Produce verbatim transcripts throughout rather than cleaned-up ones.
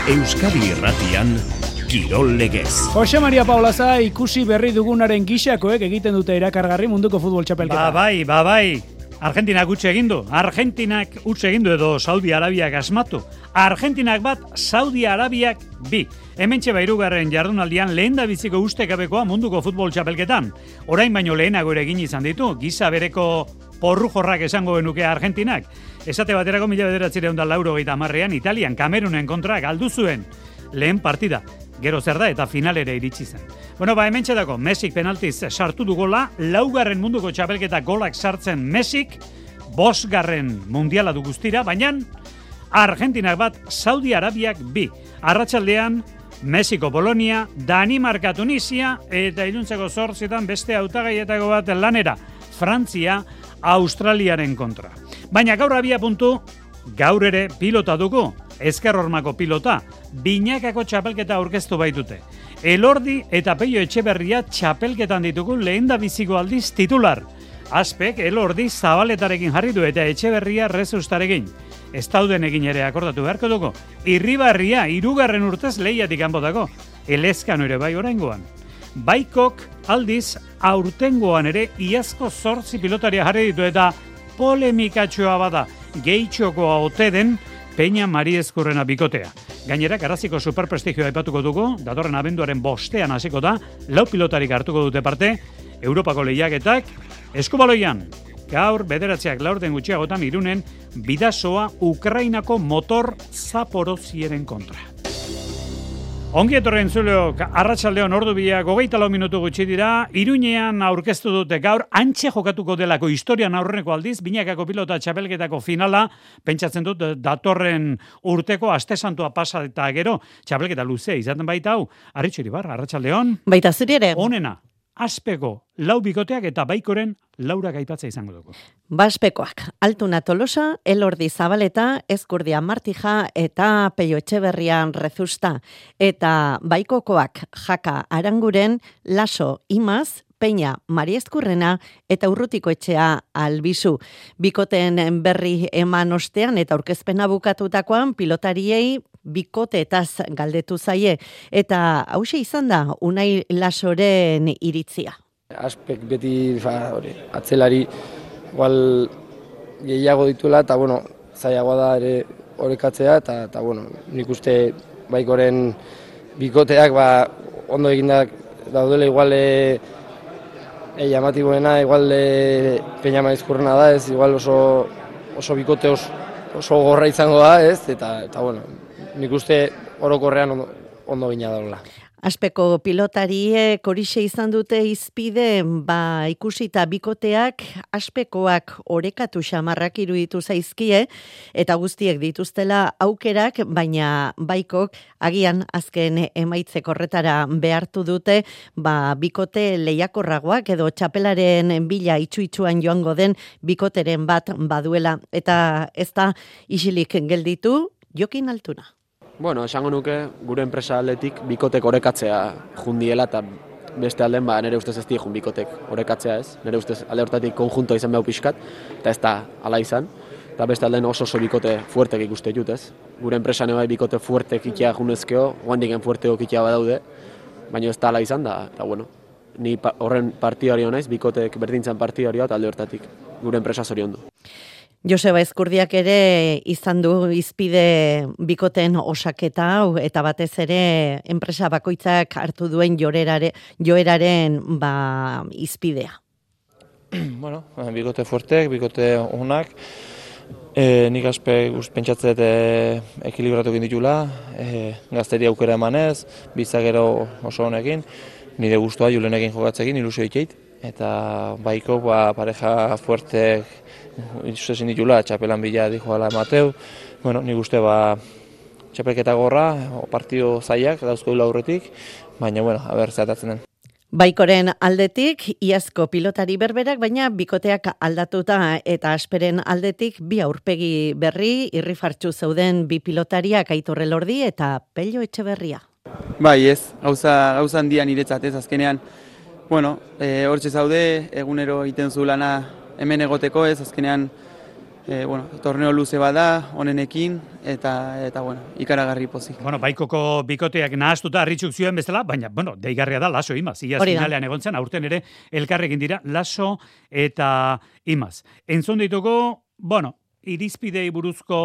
Euskadi Irratian Kirol Legez. Jose Maria Paulaza ikusi berri dugunaren gixakoek egiten dute erakargarri munduko futbol txapelketa. Ba bai, ba bai. Argentinak utxe egin du. Argentinak utxe egin du edo Saudi Arabiak asmatu. Argentinak bat, Saudi Arabiak bi. Hementxe bairugarren jardunaldian lehen da biziko ustekabekoa munduko futbol txapelketan. Orain baino lehenago ere egin izan ditu, giza bereko porru jorrak esango genuke Argentinak. Esate baterako mila bederatzireun da laurogeita hamarrean Italian Kamerunen kontra galdu zuen lehen partida. Gero zer da eta finalere iritsi zen. Bueno, ba hementxe dako, Mesik penaltiz sartu du gola, laugarren munduko txapelketa golak sartzen Mesik, bosgarren mundiala du guztira, baina Argentinak bat, Saudi Arabiak bi. Arratsaldean Mexiko, Polonia, Danimarka, Tunisia eta iluntzeko zortzietan beste hautagaietako bat lanera, Frantzia, Australiaren kontra. Baina gaur abia puntu, gaur ere pilota dugu, ezker hormako pilota, binakako txapelketa aurkeztu baitute. Elordi eta Peio Etxeberria txapelketan ditugu lehen da biziko aldiz titular. Azpek Elordi Zabaletarekin jarri du eta Etxeberria Rezustarekin. Ez dauden egin ere akordatu beharko dugu. Irribarria hirugarren urtez lehiatik kanpotako. Elezkano ere bai oraingoan. Baikok aldiz aurtengoan ere iazko zortzi pilotaria jarri ditu eta polemikatxoa bada gehitxokoa ote den Peña Mariezkurrena bikotea. Gainera, Garaziko superprestigioa aipatuko dugu, datorren abenduaren bostean hasiko da, lau pilotarik hartuko dute parte, Europako lehiaketak, eskubaloian, gaur bederatziak laurden gutxiagotan Irunen, bidasoa Ukrainako motor Zaporozieren kontra. Ongi etorren zuleok, arratsaldeon ordu biak, hogeita lau minutu gutxi dira, Iruñean aurkeztu dute gaur, antxe jokatuko delako historian aurreneko aldiz, binakako pilota txapelketako finala, pentsatzen dut datorren urteko aste santua pasa eta gero, txapelketa luzea izaten baita hau, Arritxo Iribar, arratsaldeon. Baita zuri ere. Onena, Azpeko lau bikoteak eta Baikoren laurak aipatza izango dugu. Baspekoak, Altuna Tolosa, Elordi Zabaleta, Ezkurdia Martija eta Peio Etxeberrian Rezusta. Eta Baikokoak, Jaka Aranguren, Laso Imaz, Peña Mariezkurrena eta Urrutiko Etxea Albizu. Bikoteen berri eman ostean eta aurkezpena bukatutakoan pilotariei bikoteetaz galdetu zaie. Eta hauxe izan da Unai Lasoren iritzia. Aspek beti fa, hori, atzelari igual gehiago dituela eta bueno, zailagoa da ere orekatzea eta, eta bueno, nik uste Baikoren bikoteak ba, ondo egindak daudela igual e, e, llamatiboena igual e, Peña Maizkurrena da, ez igual oso, oso bikote oso, oso gorra izango da, ez, eta, eta bueno, nik uste orokorrean ondo, ondo gina daula. Aspeko pilotariek horixe izan dute izpide, ba ikusita bikoteak Aspekoak orekatu xamarrak iruditu zaizkie eta guztiek dituztela aukerak, baina Baikok agian azken emaitzek horretara behartu dute, ba bikote lehiakorragoak edo txapelaren bila itxu-itxuan joango den bikoteren bat baduela eta ez da isilik gelditu Jokin Altuna. Bueno, esango nuke gure enpresa aldetik bikotek orekatzea jundiela eta beste alden ba nere ustez ez die jun bikotek orekatzea ez. Nere ustez alde hortatik konjuntoa izan behar pixkat eta ez da hala izan. Eta beste alden oso oso bikote fuertek ikuste jut ez. Gure enpresa bai bikote fuertek ikia junezkeo, guandiken fuerteko ikia badaude, baina ez da hala izan da. Eta bueno, ni pa, horren partidario naiz, bikotek berdintzan partidarioa eta alde hortatik gure enpresa zoriondu. Joseba Ezkurdiak ere izan du izpide bikoten osaketa hau eta batez ere enpresa bakoitzak hartu duen jorerare, joeraren ba, izpidea. Bueno, bikote fuertek, bikote onak, e, nik aspe pentsatzet e, ekilibratu egin ditula, e, gazteri aukera emanez, bizagero oso honekin, nire guztua Julenekin jokatzekin, ilusio itxeit, eta Baiko ba, pareja fuertek Izuzesin ditula, txapelan bila dijoala Mateu. Bueno, nik uste ba, txapelketa gorra, partio zaiak, dauzko dula aurretik, baina, bueno, haber zehatatzen den. Baikoren aldetik, iazko pilotari berberak, baina bikoteak aldatuta eta Asperen aldetik bi aurpegi berri, irrifartxu zeuden bi pilotariak Aitor Elordi eta Peio Etxeberria. Bai ez, gauza, gauza handian niretzat ez azkenean, bueno, e, hortxe zaude, egunero egiten zu lana hemen egoteko ez, azkenean E, bueno, torneo luze bada, honenekin, eta, eta bueno, ikaragarri pozik. Bueno, baikoko bikoteak nahaztuta harritxuk zioen bezala, baina, bueno, deigarria da Laso Imaz. Iaz finalean egon zen, aurten ere elkarrekin dira Laso eta Imaz. Entzun dituko, bueno, irizpidei buruzko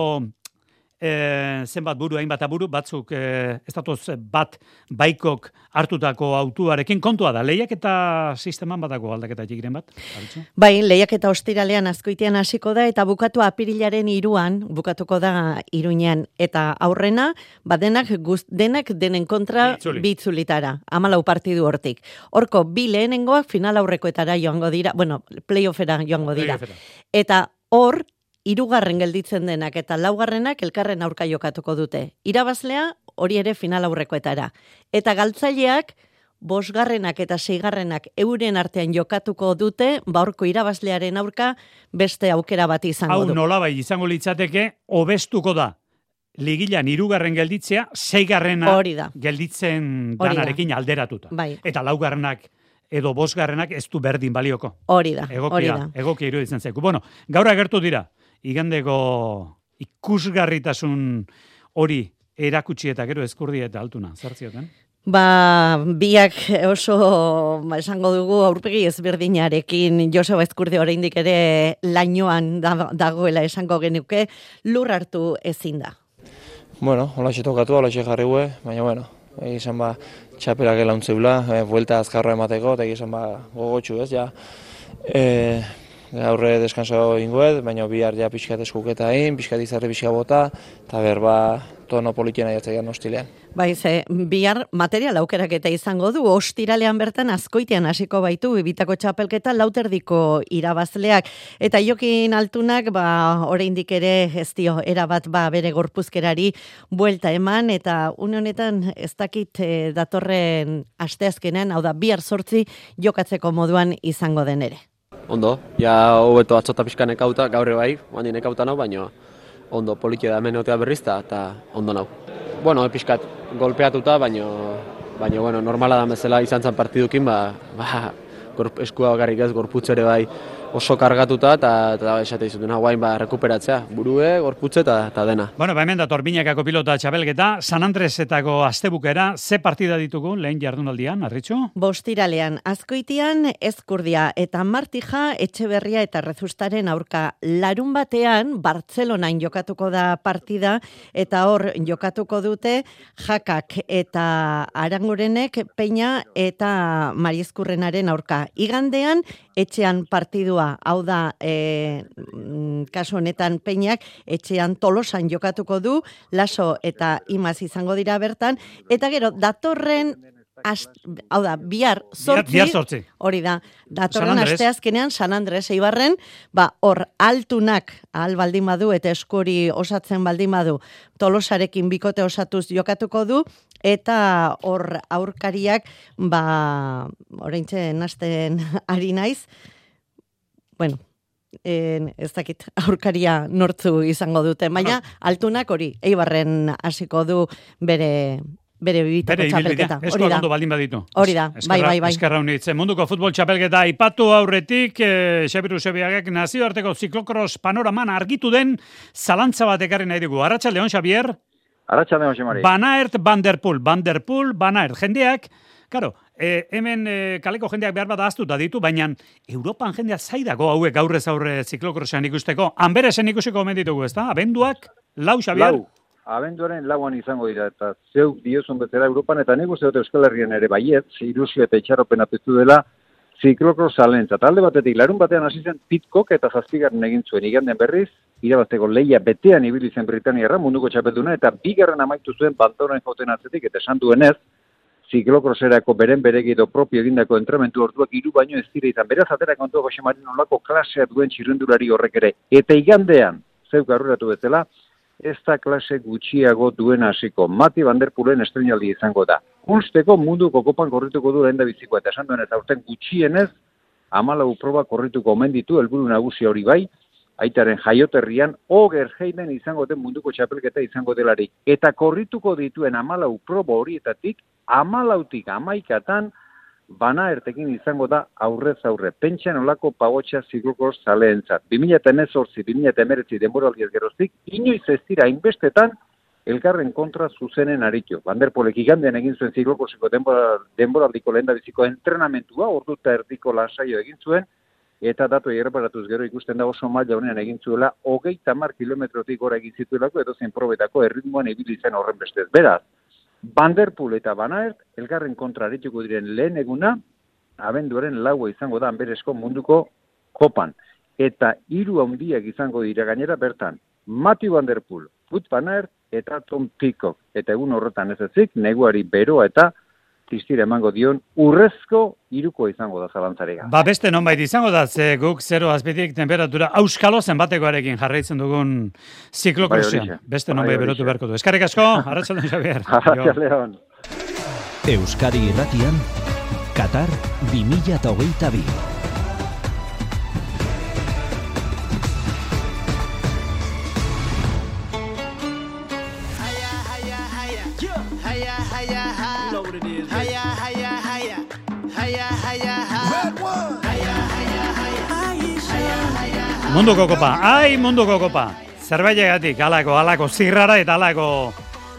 e, zenbat buru, hainbat aburu, batzuk e, ez datoz bat baikok hartutako autuarekin kontua da. Lehiak eta sisteman batako aldaketa txikiren bat? Aritzu? Bai, lehiak eta ostiralean Azkoitian hasiko da eta bukatu apirilaren iruan, bukatuko da Iruñean. Eta aurrena, badenak guz, denak denen kontra bitzulitara, amalau partidu hortik. Horko, bi lehenengoak final aurrekoetara joango dira, bueno, playoffera joango dira. Eta hor, hirugarren gelditzen denak eta laugarrenak elkarren aurka jokatuko dute. Irabazlea hori ere final aurrekoetara. Eta galtzaileak bosgarrenak eta seigarrenak euren artean jokatuko dute, baurko irabazlearen aurka beste aukera bat izango du. Hau nolabai izango litzateke, hobestuko da. Ligilan hirugarren gelditzea, seigarrena gelditzen danarekin alderatuta. Bai. Eta laugarrenak edo bosgarrenak ez du berdin balioko. Hori da, hori Egokia, da. egokia iruditzen zaiku. Bueno, gaur agertu dira, igandeko ikusgarritasun hori erakutsi eta gero eskurdi eta altuna, zartzioten? Ba, biak oso, ba, esango dugu, aurpegi ezberdinarekin Joseba Ezkurdi oraindik ere lainoan da, dagoela esango genuke, lur hartu ezin da. Bueno, hola tokatu, hola jarriue, baina bueno, egizan ba, txapelak elauntzeula, e, buelta azkarra emateko, eta egizan ba, gogotxu ez, ja, e, gaurre deskanso ingoet, baina bihar ja pixkat eskuketa egin, pixkat izarri pixka bota, eta berba tono politiena jatzaian hostilean. Bai, ze, bihar material aukeraketa izango du, ostiralean bertan Azkoitian hasiko baitu, bitako txapelketa lauterdiko irabazleak, eta Jokin Altunak, ba, oraindik ere ez dio, erabat ba, bere gorpuzkerari buelta eman, eta une honetan ez dakit e, datorren asteazkenean, hau da, bihar sortzi jokatzeko moduan izango den ere. Ondo, ja hobeto atzota pixkan ekauta, gaurre bai, handien ekauta nau, baina ondo, politia da hemen otea berrizta, eta ondo nau. Bueno, pixkat golpeatuta, baina, baina bueno, normala da bezala izan zen partidukin, ba, ba, eskua bakarrik ez, gorputz ere bai oso kargatuta, eta, eta esate izutuna, guain ba, rekuperatzea, burue, gorputze eta, eta dena. Bueno, ba, hemen dator Binakako pilota txapelketa, San Andresetako astebukera, ze partida ditugu lehen jardunaldian, Arritxu? Bostiralean, Azkoitian, Ezkurdia eta Martija, Etxeberria eta Rezustaren aurka. Larun batean, Bartzelonain jokatuko da partida, eta hor jokatuko dute Jakak eta Arangurenek, Peña eta Mariezkurrenaren aurka. Igandean, etxean partidua, hau da, e, kasu honetan Peñak, etxean Tolosan jokatuko du, Laso eta Imaz izango dira bertan, eta gero, datorren, ast, hau da, bihar sortzi, bihar sortzi. Hori da, datorren asteazkenean San Andres Eibarren, ba, hor, Altunak, ahal baldin badu, eta eskuri osatzen baldin badu, Tolosarekin bikote osatuz jokatuko du, eta hor aurkariak, ba, oraintxe nasten ari naiz, bueno, en, ez dakit aurkaria nortzu izango dute, baina Altunak hori, Eibarren hasiko du bere bere bibitako txapelketa. Esko ondo baldin baditu. Hori da, bai, bai, bai. Eskerra unitzen. Munduko futbol txapelketa ipatu aurretik, eh, Xabiru Sebiagak nazioarteko ziklokros panoraman argitu den zalantza bat ekarri nahi dugu. Arratsaldeon, Xabier? Arratsaldeon, Xemari. Van Aert, Van der Poel, Van der Poel, Van Aert. Jendeak, karo, eh, hemen eh, kaleko jendeak behar bat ahaztuta ditu, baina Europan jendea zaidago hauek aurrez aurre ziklokrosean ikusteko. Hanberesen ikusiko omen ditugu, ez da? Abenduak, lau, Xabier? Lau. Abenduaren lauan izango dira, eta zeuk diozun bezala Europan, eta nik uste dut Euskal Herrian ere baiet, ilusio eta itxaropen apestu dela, ziklokros zalentza. Talde batetik, larun batean hasi zen Pitcock eta zazpigarren egin zuen igandean berriz, irabazteko leia betean ibili zen Britaniarra, munduko txapelduna, eta bigarren amaitu zuen Bandoren joten atzetik, eta esan duenez, ziklokroserako beren beregi edo propio egindako entramentu orduak hiru baino ez dira izan. Beraz atera kontua Jose Marin olako klasea duen txirrendulari horrek ere. Eta igandean, zeuk aurreratu bezala, ez da klase gutxiago duen hasiko. Mati Van der Poelen estreinaldi izango da. Unsteko munduko kopan korrituko du lehen da bizikoa, eta esan duenez, aurten gutxienez, hamalau proba korrituko omen ditu, helburu nagusia hori bai, aitaren jaioterrian, Oger Heiden izango den munduko txapelketa izango delarik. Eta korrituko dituen hamalau proba horietatik, hamalautik hamaikatan, Banaertekin izango da aurrez aurre. Pentsa nolako pagotxa ziklokros zaleentzat. bi mila hemezortzi bi mila hemeretzi denboraldiaz geroztik, inoiz ez dira hainbestetan elkarren kontra zuzenen aritu. Van der Poelek igandean egin zuen ziklokroseko denboraldiko lehendabiziko entrenamentua, ordu eta erdiko lasaio egin zuen, eta datu erreparatuz gero ikusten da oso maila honean egin zuela, hogeita hamar kilometrotik gora egin zituelako, edo zen probetako erritmoan ibili zen horren bestez. Beraz, Van der Poel eta Van Aert, elkarren kontra arituko diren lehen eguna, abenduaren laua izango da Anberesko munduko kopan. Eta hiru handiak izango dira gainera bertan, Mathieu Van der Poel, Wout Van Aert eta Tom Pidcock. Eta egun horretan ez ezik, neguari beroa eta tistira emango dion urrezko hiruko izango da zalantzarega. Ba beste nonbait izango da, ze guk zero azpitik temperatura auskalo zenbatekoarekin jarraitzen dugun ziklokrosean. Beste nonbait berotu beharko du. Eskerrik asko, arratsaldeon Xabier. Arratsaldeon. Euskadi Irratian, Qatar bi mila hogeita bi. Munduko kopa, ai munduko kopa. Zerbailegatik alako, alako zirrara eta alako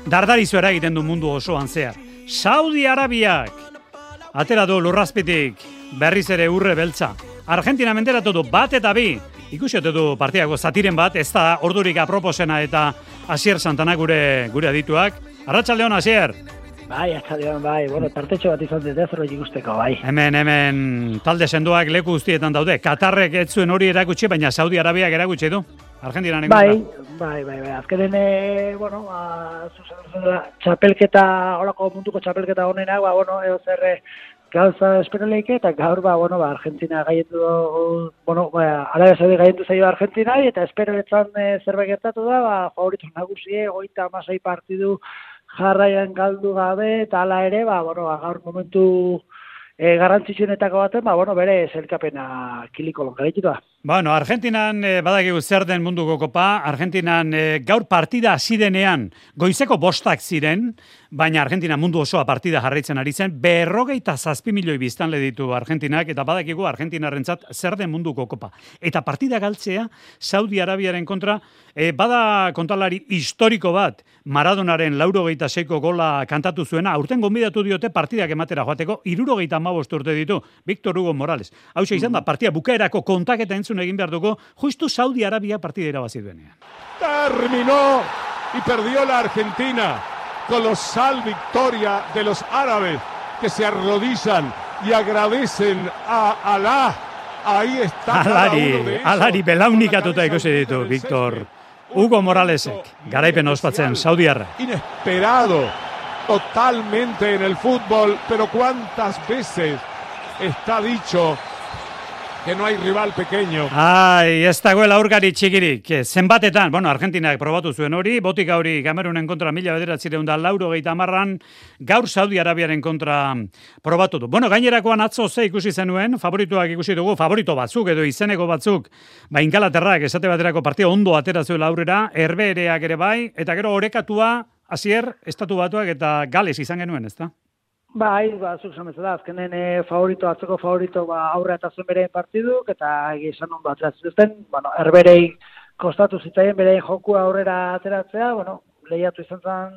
dardarizu eragiten du mundu osoan zehar. Saudi Arabiak atera du lurrazpitik berriz ere urre beltza. Argentina menderatu du bat eta bi. Ikusi ote du partiako zatiren bat, ez da ordurik aproposena eta Asier Santana gure gure adituak. Arratsaldeon Asier. Bai, atxaldean, bai, bueno, tartetxo bat izan dut zerbait ikusteko, bai. Hemen, hemen, talde sendoak leku guztietan daude. Katarrek ez zuen hori erakutsi, baina Saudi Arabiak erakutsi du. Argentinaren bai, bai, bai, bai, azkenen, e, bueno, ba, zuzen, txapelketa, horako munduko txapelketa honenak, ba, bueno, eo zer gauza esperoleik, eta gaur, ba, bueno, ba, Argentina gaiendu, bueno, ba, Arabia Saudi gaiendu zaio Argentina, eta esperoletzan e, zerbait gertatu da, ba, favorito nagusie, goita amasei partidu, jarraian galdu gabe, eta hala ere, ba, bueno, gaur momentu e, garrantzitsuenetako baten, ba, bueno, bere zelkapena kiliko longarekitu da. Bueno, Argentinan eh, badakigu zer den munduko kopa, Argentinan eh, gaur partida hasi denean goizeko bostak ziren, baina Argentina mundu osoa partida jarraitzen ari zen, berrogeita zazpi milioi biztanle ditu Argentinak, eta badakigu Argentinarrentzat zer den munduko kopa. Eta partida galtzea, Saudi Arabiaren kontra, eh, bada kontalari historiko bat, Maradonaren laurogeita seiko gola kantatu zuena, aurten gonbidatu diote partidak ematera joateko, hirurogeita hamabost urte ditu, Victor Hugo Morales. Hau izan da, partida bukaerako kontaketa entzun egin behar dugu, justu Saudi Arabia partida irabazi duenean. Terminó y perdió la Argentina. Colosal victoria de los árabes que se arrodillan y agradecen a Alá. Ahí está Alari, alari belaunikatuta ikusi ditu, Victor Hugo Moralesek, garaipen ospatzen Saudiarra. Inesperado totalmente en el fútbol, pero cuántas veces está dicho que no hay rival pequeño. Ai, ez dagoela aurkari txikirik. Zenbatetan, bueno, Argentinak probatu zuen hori, botika hori Kamerunen kontra mila bederatzireun da laurogeita hamarran, gaur Saudi Arabiaren kontra probatu du. Bueno, gainerakoan atzo ze ikusi zenuen, favorituak ikusi dugu, favorito batzuk edo izeneko batzuk, ba Ingalaterrak esate baterako partida ondo atera zuela aurrera, Herbehereak ere bai, eta gero orekatua, Asier, Estatu Batuak eta Gales izan genuen, ezta? Bai, ba, zuk esan bezala, azkenen e, favorito, atzeko favorito, ba, aurre eta zuen bere partiduk, eta egizan ondo ateratzen duzten, bueno, Herberei kostatu zitzaien bere jokua aurrera ateratzea, bueno, lehiatu izan zen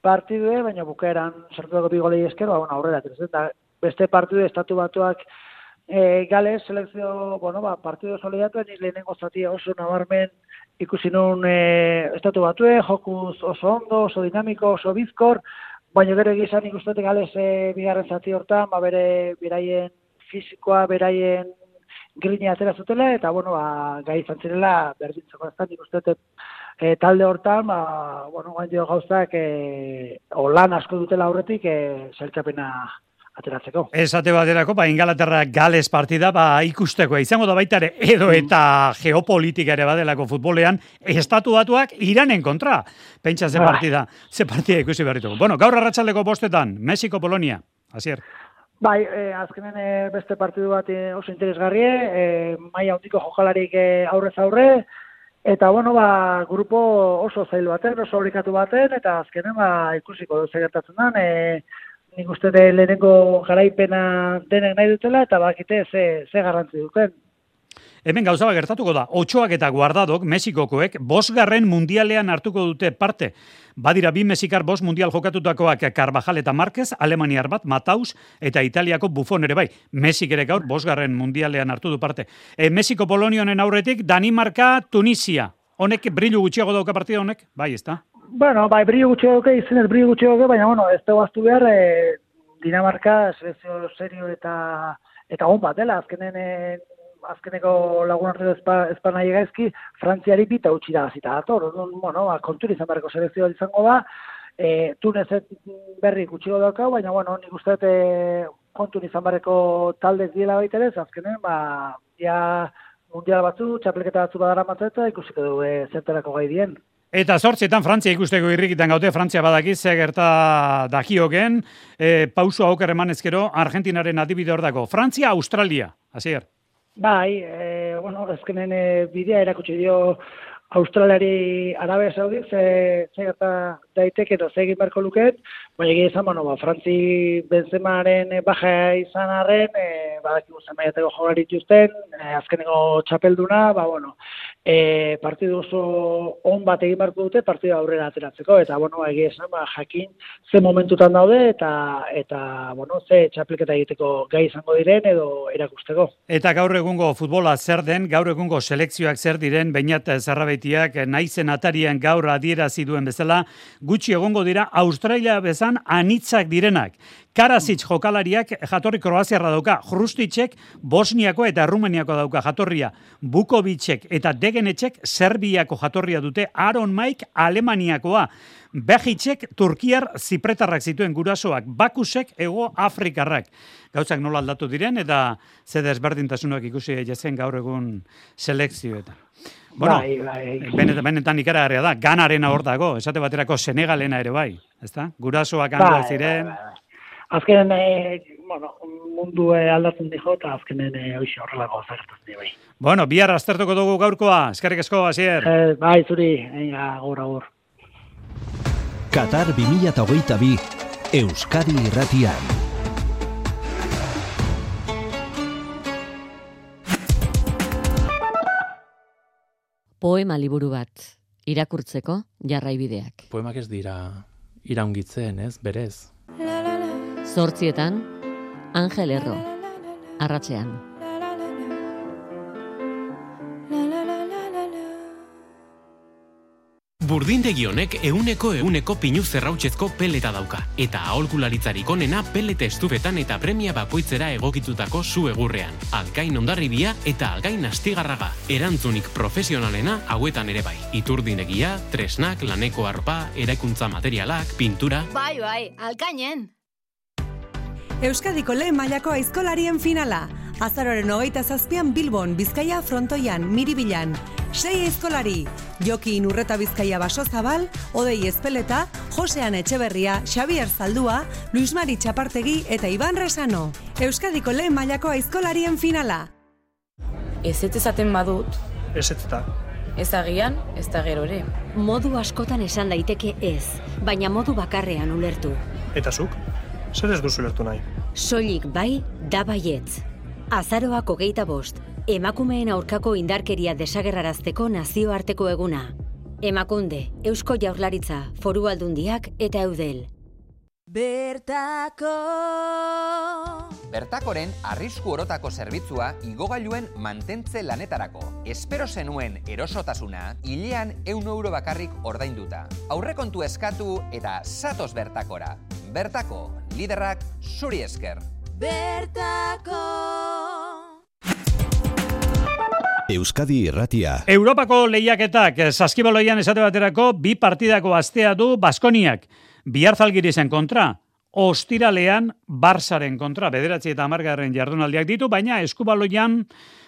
partidue, baina bukaeran sartu dago bigolei esker, ba, bueno, aurrera ateratzen, eta beste partidu Estatu Batuak e, Gales, selekzio, bueno, ba, partidu oso lehiatu, nik lehenengo zatia oso nabarmen ikusi nun e, Estatu Batue, jokuz oso ondo, oso dinamiko, oso bizkor, baina gero egizan ikustetek Gales e, bigarren zati hortan, ba, bere beraien fisikoa, beraien grina atera zutela, eta, bueno, ba, gai izan zirela berdintzeko ez da, ikustetek e, talde hortan, ba, bueno, gain dio gauzak, e, o lan asko dutela aurretik, e, zelkapena ateratzeko. Esate baterako, ba, Ingalaterra Gales partida, ba, ikustekoa izango da baita ere, edo eta geopolitika ere badelako futbolean, Estatu Batuak Iranen kontra. Pentsa ze partida, ze partida ikusi berrituko. Bueno, gaur arratsaldeko bostetan, Mexiko-Polonia, Asier. Bai, e, azkenen e, beste partidu bat e, oso interesgarrie, e, maila handiko jokalarik e, aurrez aurre, eta, bueno, ba, grupo oso zail baten, oso oblikatu baten, eta azkenen, ba, ikusiko dut gertatzen den, e, nik uste de lehenengo garaipena denek nahi dutela, eta bakite ze, ze garrantzi duten. Hemen gauza bat gertatuko da, Otxoak eta Guardadok, Mexikokoek, bosgarren mundialean hartuko dute parte. Badira bi mexikar bost mundial jokatutakoak Carvajal eta Márquez, Alemaniar bat, Mataus eta Italiako Buffon ere bai. Mexik ere gaur bosgarren mundialean hartu du parte. E, Mexiko Polonionen aurretik, Danimarka, Tunisia. Honek brillu gutxiago dauka partida honek? Bai, ez da? Bueno, bai, brillu gutxiago dauka, izenez brillu gutxiago dauka, baina, bueno, ez dugu aztu behar, e, Dinamarka, selekzio serio eta, eta on bat, dela, azkenen... E, azkeneko lagun arteko ezpan nahi gaizki, Frantziari bita utxi da gazita dator. Bueno, kontur izan beharko selekzioa izango da, e, Tunezet berri gutxiko daukau, baina, bueno, nik uste e, kontur izan beharko taldez diela baita ere, azkenen, ba, ja mundial batzu, txapelketa batzu badara matzeta, ikusiko du e, zerterako gai dien. Eta zortzietan Frantzia ikusteko irrikitan gaute, Frantzia badakiz, ze gerta dakioken, e, pauso auker emanezkero, Argentinaren adibide hor dago. Frantzia, Australia, hasier. Bai, e, bueno, ezkenen e, bidea erakutsi dio Australiari Arabia Saudi, ze, ze gerta daiteke edo ze egin beharko luket, baina egia izan, bueno, ba, Frantzi Benzemaren baja izan arren, e, badakigu zenbaiateko jogari dituzten, e, azkeneko txapelduna, ba, bueno, e, partidu oso on bat egin beharko dute, partidu aurrera ateratzeko, eta, bueno, egia izan, ba, jakin ze momentutan daude, eta, eta bueno, ze txapelketa egiteko gai izango diren, edo erakusteko. Eta gaur egungo futbola zer den, gaur egungo selekzioak zer diren, Beñat Zerrabeitiak naizen atarian gaur adierazi duen bezala, gutxi egongo dira Australia bezan anitzak direnak. Karasic jokalariak jatorri Kroaziarra dauka, Hrusticek Bosniako eta Errumeniako dauka jatorria, Bukovicek eta Degenetxek Serbiako jatorria dute, Aaron Mike Alemaniakoa, Begicek Turkiar zipretarrak zituen gurasoak, Bakusek Ego Afrikarrak. Gauzak nola aldatu diren eta ze desberdintasunak ikusi jezen gaur egun selekzioetan. Bueno, bai, bai. Benetan, benetan ikaragarria da, Ganarena hor dago, esate baterako Senegalena ere bai, ezta? Gurasoak hangoa ziren. Bai, bai, bai. Azkenen, e, bueno, mundu e, aldatzen dijo, eta azkenen e, hoxe horrelako zertatzen di bai. Bueno, bihar aztertuko dugu gaurkoa, eskerrik asko, Asier. Eh, bai, zuri, eina, gaur, gaur. Qatar bi mila hogeita bi, Euskadi irratian. Poema liburu bat, irakurtzeko jarraibideak. Poemak ez dira iraungitzen, ez, berez. Zortzietan, Angel Erro, arratsean. Burdindegi honek euneko euneko pinu zerrautzezko peleta dauka, eta aholkularitzarik onena pelete estufetan eta premia bakoitzera egokitutako zu egurrean. Alkain Hondarribia eta Algain Astigarraga. Erantzunik profesionalena hauetan ere bai. Iturdinegia, tresnak, laneko arropa, eraikuntza materialak, pintura... Bai, bai, Alkainen! Euskadiko lehen mailako aizkolarien finala. Azaroren hogeita zazpian Bilbon, Bizkaia frontoian, Miribilan. Sei aizkolari, Jokin Urreta Bizkaia Basozabal, Odei Ezpeleta, Josean Etxeberria, Xabier Zaldua, Luis Mari Txapartegi eta Iban Resano. Euskadiko lehen mailako aizkolarien finala. Ez ez ezaten badut. Ez ez da. Ez agian, ez da gero ere. Modu askotan esan daiteke ez, baina modu bakarrean ulertu. Eta zuk? Zer ez duzu ulertu nahi? Soilik bai, da baietz. Azaroak hogeita bost, emakumeen aurkako indarkeria desagerrarazteko nazioarteko eguna. Emakunde, Eusko Jaurlaritza, Foru Aldundiak eta Eudel. Bertako Bertakoren arrisku orotako zerbitzua igogailuen mantentze lanetarako. Espero zenuen erosotasuna, hilean ehun euro bakarrik ordainduta. Aurrekontu eskatu eta zatoz Bertakora. Bertako, liderrak zuri esker. Bertako Euskadi irratia. Europako lehiaketak Saskibaloian esate baterako bi partidako astea du Baskoniak. Bihar Zalgirizen kontra, ostiralean Barsaren kontra, bederatzi eta hamargarren jardunaldiak ditu, baina Eskubaloian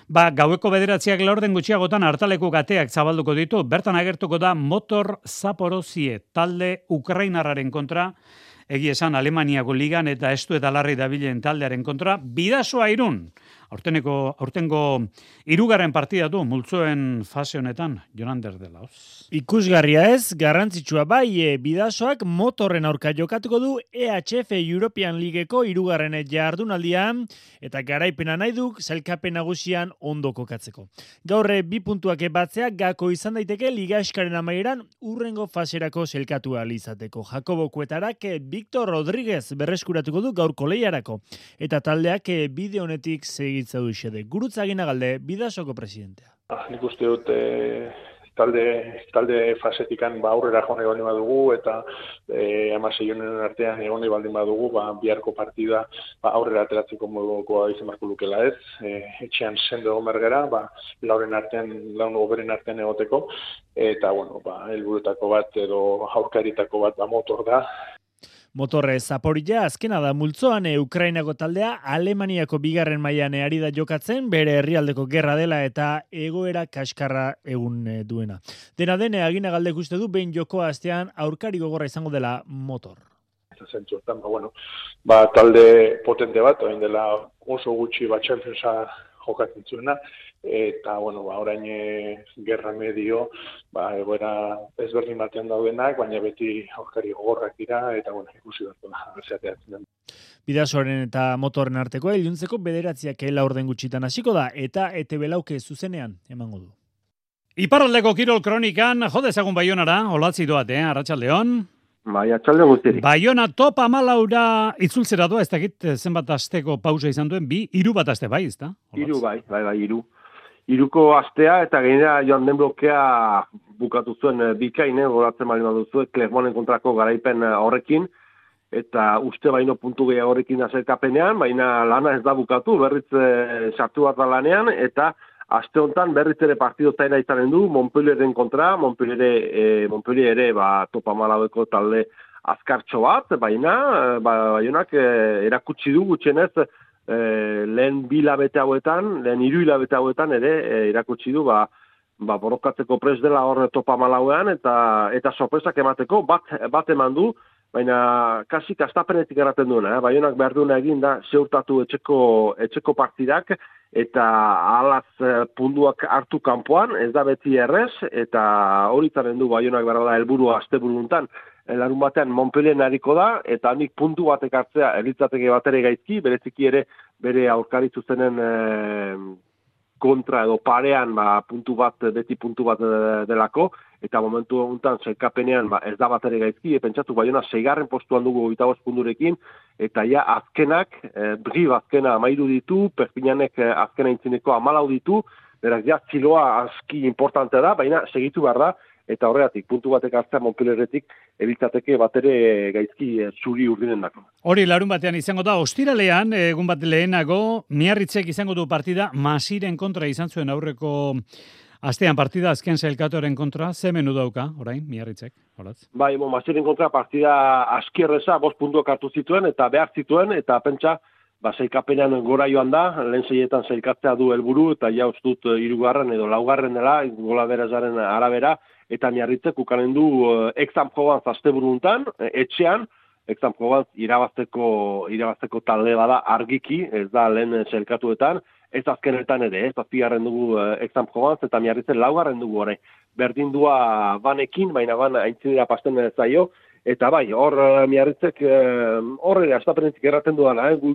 ba, gaueko bederatziak laurden gutxiagotan hartaleku gateak zabalduko ditu, bertan agertuko da Motor Zaporozie, talde Ukrainarraren kontra, egia esan Alemaniako ligan eta estu eta larri dabilen taldearen kontra, Bidasoa Irun, aurteneko, aurtengo hirugarren partida du, multzoen fase honetan, Jonander de Laos. Ikusgarria ez, garrantzitsua bai, e, bidasoak motorren aurka jokatuko du E H F European Leagueko hirugarren jardunaldian, eta garaipena nahi duk, zailkapen nagusian ondo kokatzeko. Gaur bi puntuak batzea gako izan daiteke liga eskaren amaieran urrengo faserako zelkatu izateko. Jakobo Kuetarak Victor Rodríguez berreskuratuko du gaurko lehiarako, eta taldeak bide honetik segitza du xede. Gurutza Aginagalde, Bidasoko presidentea. Ah, nik uste dut eh, talde, talde fasetikan ba, aurrera jone baldin badugu eta eh, amasei honen artean egone baldin badugu, ba, biharko partida ba, aurrera ateratzeko modukoa izan barko lukela ez. Eh, etxean sendo egon bergera, ba, lauren artean, laun oberen artean egoteko, eta bueno, ba, helburutako bat edo aurkaritako bat ba, motor da. Motorre Zaporilla azkena da multzoan e, Ukrainako taldea Alemaniako bigarren mailan ari da jokatzen, bere herrialdeko gerra dela eta egoera kaskarra egun e, duena. Dena dene Aginagaldek uste du behin jokoa astean aurkari gogorra izango dela motor. Zentzuetan, ba, bueno, ba, talde potente bat, orain dela oso gutxi bat Championsa jokatzen zuena, eta, bueno, ba, orain e, gerra medio, ba, egoera ezberdin batean daudenak, baina beti aurkari gogorrak dira, eta, bueno, ikusi dut da, berzeateatzen den. Bidasoaren eta motorren arteko iluntzeko bederatziak laurden gutxitan hasiko da, eta E T B lauke zuzenean emango du. Iparraldeko kirol kronikan, jode ezagun Baionara, olatzi doat, eh, Arratsaldeon. Bai, atxaldeon guztirik. Baiona top amalaura itzultzera doa, ez dakit zenbat asteko pausa izan duen, bi, hiru bat aste bai, ez da? Hiru bai, bai, bai, hiru. Hiruko astea eta gainera joan den blokea bukatu zuen bikain, goratzen bali baduzu, Clermonten kontrako garaipen horrekin, eta uste baino puntu gehiago horrekin azerkapenean, baina lana ez da bukatu, berriz sartu bat da lanean, eta aste honetan berriz ere partido zaila izanen du, Montpellieren kontra, Montpellier, e, Montpellier ere ba, topa malaueko talde azkartxo bat, baina ba, baionak e, erakutsi du gutxenez e, lehen bi hilabete hauetan, lehen hiru hilabete hauetan ere e, erakutsi du ba, ba, borrokatzeko pres dela hor topa malauean eta eta sorpresak emateko bat, bat eman du, baina kasi kastapenetik erraten duena, eh? Baionak behar duena egin da zeurtatu etxeko, etxeko partidak, eta alaz punduak hartu kanpoan, ez da beti errez, eta hori zaren du Baionak behar da helburua asteburu larun batean Montpellier hariko da, eta hanik puntu batek hartzea eritzateke bat ere gaizki, bereziki ere bere aurkari zuzenen e, kontra edo parean ba, puntu bat, beti puntu bat delako, eta momentu honetan zelkapenean ba, ez da bat ere gaizki, e, pentsatu Baiona seigarren postuan dugu hogeita bost punturekin, eta ja azkenak, e, Brib azkena amairu ditu, Perpignanek azkena intzineko amalau ditu, beraz ja ziloa aski importante da, baina segitu behar da, eta horregatik, puntu batek hartzea Montpellieretik, ebiltzateke bat ere gaizki e, zuri urdinen dako. Hori larun batean izango da, ostiralean, egun bat lehenago, Miarritzek izango du partida, Masiren kontra izan zuen aurreko astean partida, azken zailkatoren kontra, ze menu dauka, orain, Miarritzek, horatz? Bai, bon, Masiren kontra partida askierreza, bost puntuak hartu zituen, eta behar zituen, eta pentsa, ba, zailkapenean gora joan da, lehen zeietan zailkatzea du helburu, eta ja ustut hirugarren edo laugarren dela, gola berazaren arabera, eta Miarritzek ukanen du uh, Exam Provence asteburuntan, etxean, Exam Provence irabazteko, irabazteko talde bada argiki, ez da lehen zelkatuetan, ez azkenetan ere, ez azpigarren dugu uh, Exam Provence, eta Miarritzen laugarren dugu ore. Berdindua banekin, baina ban aintzinera pasten zaio, eta bai, hor uh, Miarritzek hor uh, ere astapenetik erraten duana, eh?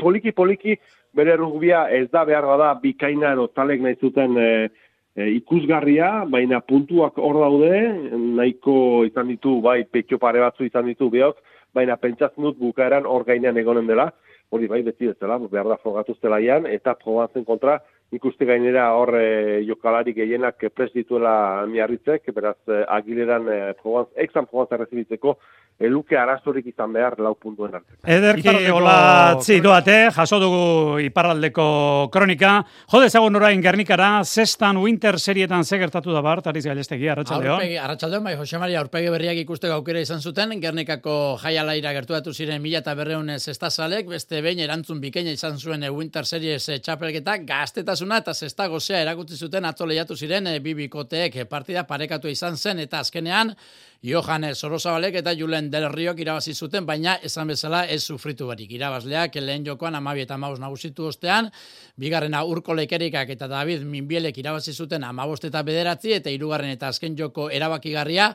poliki-poliki bere rugbia ez da behar bada bikaina edo talek nahi zuten uh, E, ikusgarria, baina puntuak hor daude, nahiko izan ditu, bai, petxo pare batzu izan ditu behok, baina pentsatzen dut bukaeran hor gainean egonen dela, hori bai, beti ez dela, behar da frogatu zelaian, eta Provenzen kontra, ikuste gainera hor e, jokalari gehienak prest dituela Miarritzek, beraz, e, agileran e, Provence, Exam Provence errezibitzeko, eluke arazorik izan behar lau puntuen arte. Ederki hola txidoate, jaso dugu iparraldeko kronika. Jode ezagun orain Gernikara, Zestan Winter serietan segertatu da bart, Ariz Galestegi, Arratsaldeon. Aurpegi, Arratsaldeon, bai, Jose Maria aurpegi berriak ikusteko aukera izan zuten, Gernikako jaialaira gertuatu ziren mila eta berreun zestazalek, beste behin erantzun bikaina izan zuen Winter Series txapelketa, gaztetasuna eta zesta gozea erakutsi zuten atzo lehiatu ziren bibikoteek partida parekatu izan zen, eta azkenean, Johan Sorozabalek eta Julen Del Riok irabazi zuten, baina esan bezala ez sufritu barik. Irabazleak lehen jokoan amabi eta amabost nagusitu ostean, bigarrena Urko Lekerikak eta David Minbielek irabazi zuten amabost eta bederatzi, eta hirugarren eta azken joko erabakigarria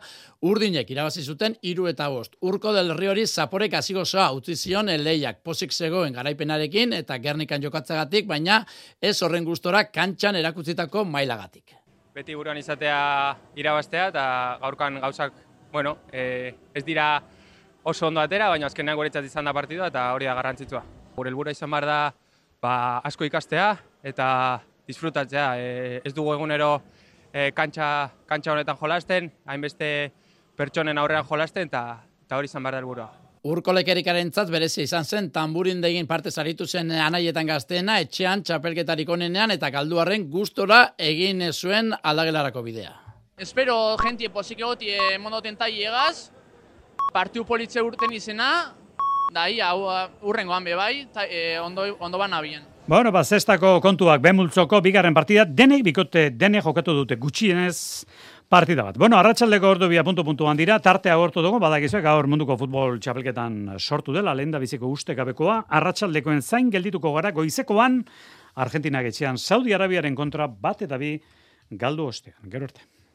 Urdinek irabazi zuten hiru eta bost. Urko Del Riori zaporek hasigozoa utzi zion leiak pozik zegoen garaipenarekin eta Gernikan jokatzagatik, baina ez horren gustora kantxan erakutzitako mailagatik. Beti buruan izatea irabaztea eta gaurkan gauzak, bueno, e, ez dira oso ondo atera, baina azkenean guretzat izan da partidua eta hori da garrantzitsua. Gure helburua izan behar da ba, asko ikastea eta disfrutatzea. E, ez dugu egunero e, kantxa, kantxa honetan jolasten, hainbeste pertsonen aurrean jolasten eta, eta hori izan behar da helburua. Urko Lekerikarentzat berezia izan zen, tamburindegin parte zaritu zen anaietan gazteena, etxean txapelketarik onenean eta galduarren gustora egin zuen aldagelarako bidea. Espero jentie pozik egoti mondoten tai egaz, partiu politze urten izena, da ia urrengoan bebai, e, ondo, ondo ban abien. Bueno, ba, zestako kontuak Bemultzoko bigarren partida, denek bikote, denek jokatu dute gutxienez partida bat. Bueno, arratsaldeko ordu bia puntu-puntuan dira, tartea agortu dugu, badakizuek gaur munduko futbol txapelketan sortu dela, lehen da biziko ustekabekoa, arratsaldekoen zain geldituko gara, goizekoan, Argentinak etxean Saudi Arabiaren kontra bat eta bi galdu ostean. Gero arte.